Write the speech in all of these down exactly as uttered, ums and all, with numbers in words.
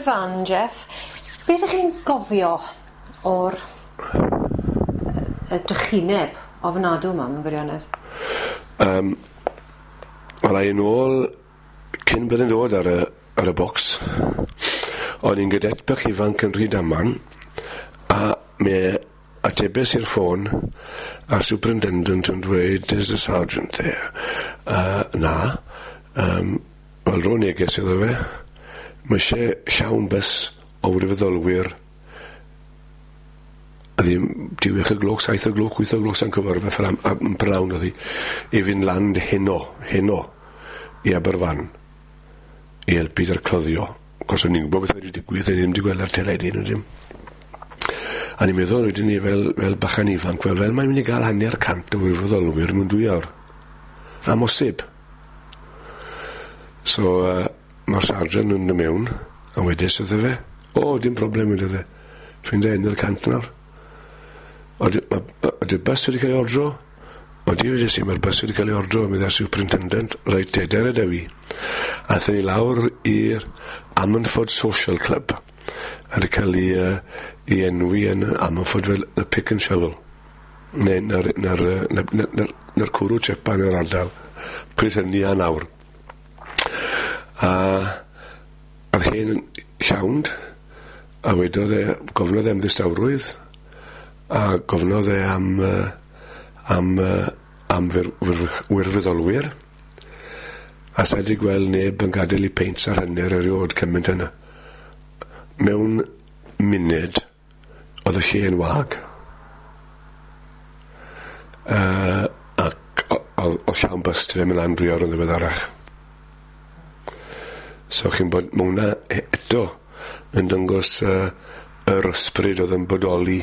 Aberfan, Jeff, beth ych chi'n gofio o'r y drychineb ofnadw yma mewn gwirionedd? Um, Wel, a i nôl cyn bydd yn dod ar y, ar y bocs. O'n i'n gadet bach ifanc yn Rhydaman, a me atebes i'r ffôn, a'r superintendent yn dweud, "Is the sergeant there?" Uh, na. Um, Wel, ro neges iddo fe. Mae eisiau llawn bws o wirfoddolwyr a ddim diwech y gloch, saith o gloch, wyth o gloch, sa'n cofio rhywbeth fel am, am prynhawn oedd hi, i fynd lan heno, heno, i Aberfan, i helpu 'da'r cloddio. Cos o'n i'n gwybod beth oedd wedi digwydd, o'n i ddim wedi gweld ar teledu neu dim. A ni'n meddwl wedyn ni fel, fel bachan ifanc, wel, fel mae'n mynd i gael hanner cant o wirfoddolwyr mewn dwy awr. Amhosib. So, uh, mae'r sargeant yn dod mewn, a wedes wrtho fe, "O, dim problem," wedodd e. "Ffindio hanner cant nawr. Ydy'r bus wedi cael ei ordro?" "Odi," wedes i, "mae'r bus wedi cael ei ordro," meddai'r superintendent. "Reit, te, dere 'da fi." Aethon ni lawr i'r Ammanford Social Club. A wedi cael ei, uh, ei enwi yn Ammanford fel y pick and shovel. Neu na'r, na'r, na'r, na'r, na'r, na'r cwrw tsepa yn yr ardal. Pryd hynny a nawr. A oedd hen yn llawnd, a wedodd e, gofnodd e am ddistawrwydd, a gofnodd e am, uh, am, uh, am fyr, fyr, wirfoddolwyr, a sa wedi gweld neb yn gadael i peints ar hanner erioed cymaint yna. Mewn munud, oedd y lle yn wag. Uh, ac oedd llawn bus fe mynd lan dwy awr yn ddiweddarach. So chi'n bod, mae hwnna eto yn dangos uh, yr ysbryd oedd yn bodoli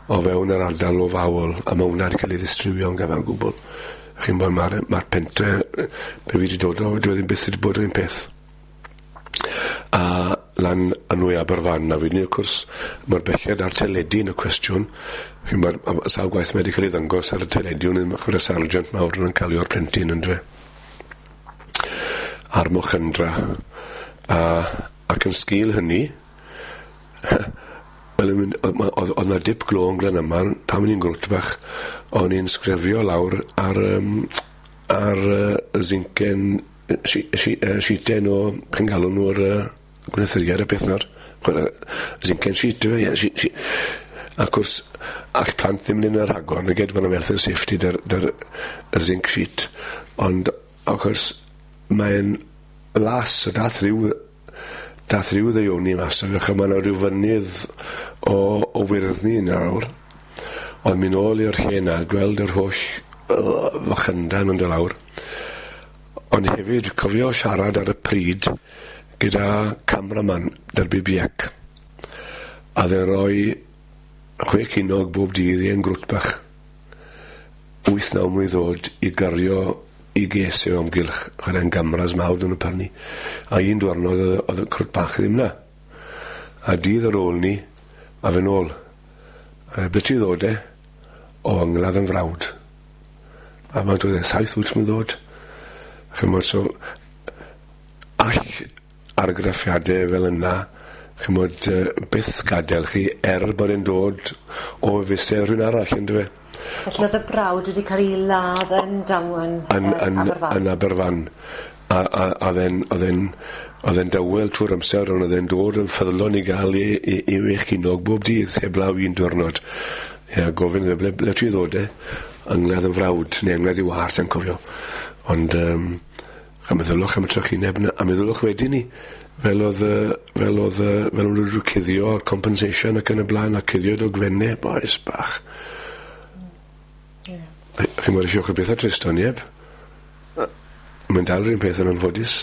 o fewn yr ardal o fawl, a mae hwnna wedi cael ei ddistrywio yn gyfan gwbl. Chi'n bod, mae'r ma pentre, be fi wedi dod o, dwi ddim byth wedi bod yr un peth. A lan yn nwy Aberfan, a wedyn wrth gwrs, mae'r belled ar teledu yn y cwestiwn. Chi'n bod, sawl gwaith mae wedi cael ei ddangos ar y teledu, yn chwarae sargeant mawr yn cael o'r plentyn yn dwe. A'r mochyndrau. A, ac yn sgil hynny, wel, oedd oedd 'na dip glo yn Glan pan o'n i'n grwt bach, o'n i'n sgrifio lawr ar, um, ar uh, zincen, si, si, uh, sheeten o, chi'n galw nhw'r uh, gwneuthuriad y peth nawr. Zincen sheet, yw e, ie. Si, si. Ac wrth, a'ch plant ddim yn un ar rhagor, nag edrych fan health and safety dy'r, dy'r, y zinc sheet. Ond, wrth gwrs, mae'n las, o dath rhyw dath rhyw ddeioni mas o fe, mae yna rhyw fynydd o, o wyrddni nawr. Ond mynd nôl i'r lle na, gweld yr holl uh, fychyndan yn dod lawr. Ond hefyd, cofio siarad ar y pryd gyda cameraman 'da'r B B C. A dde'n rhoi chwe cinog bob dydd i yn grwt bach. Wyth naw mlwydd oed i gario i ges i o amgylch, chwarae'n gamras mawr yn y prynu. A un diwrnod oedd y crwt bach ddim na. A dydd ar ôl ni, a fe nôl. A "Ble ti ddod e?" "O, angladd yn frawd." A mae'n dod e, "Saith wyt mae'n ddod." Chymod, so, all argraffiadau fel yna, chymod, byth gadael chi er bod e'n dod o fusau rhywun arall, ynddo fe? Felly oedd y brawd wedi cael ei ladd yn damwain yn, yn, Aberfan? Yn Aberfan. A, a, a oedd e'n oedd e'n oedd e'n dawel trwy'r amser, ond oedd e'n dod yn ffyddlon i gael i, i, i wech cinog bob dydd, heblaw un diwrnod. Ie, gofyn iddo, ble, ble ti ddod e?" "Angladd yn frawd," neu angladd i war, sa'n cofio. Ond, um, a meddylwch am y trychineb 'na, a meddylwch wedyn ni, fel oedd, fel oedd, fel o'n nhw cuddio compensation ac yn y blaen, a cuddio dogfennau, boes bach. Yeah. Chi'n mwyn eisiau beth a trist o'n ieb? Mae'n dal yr un peth yn anffodus.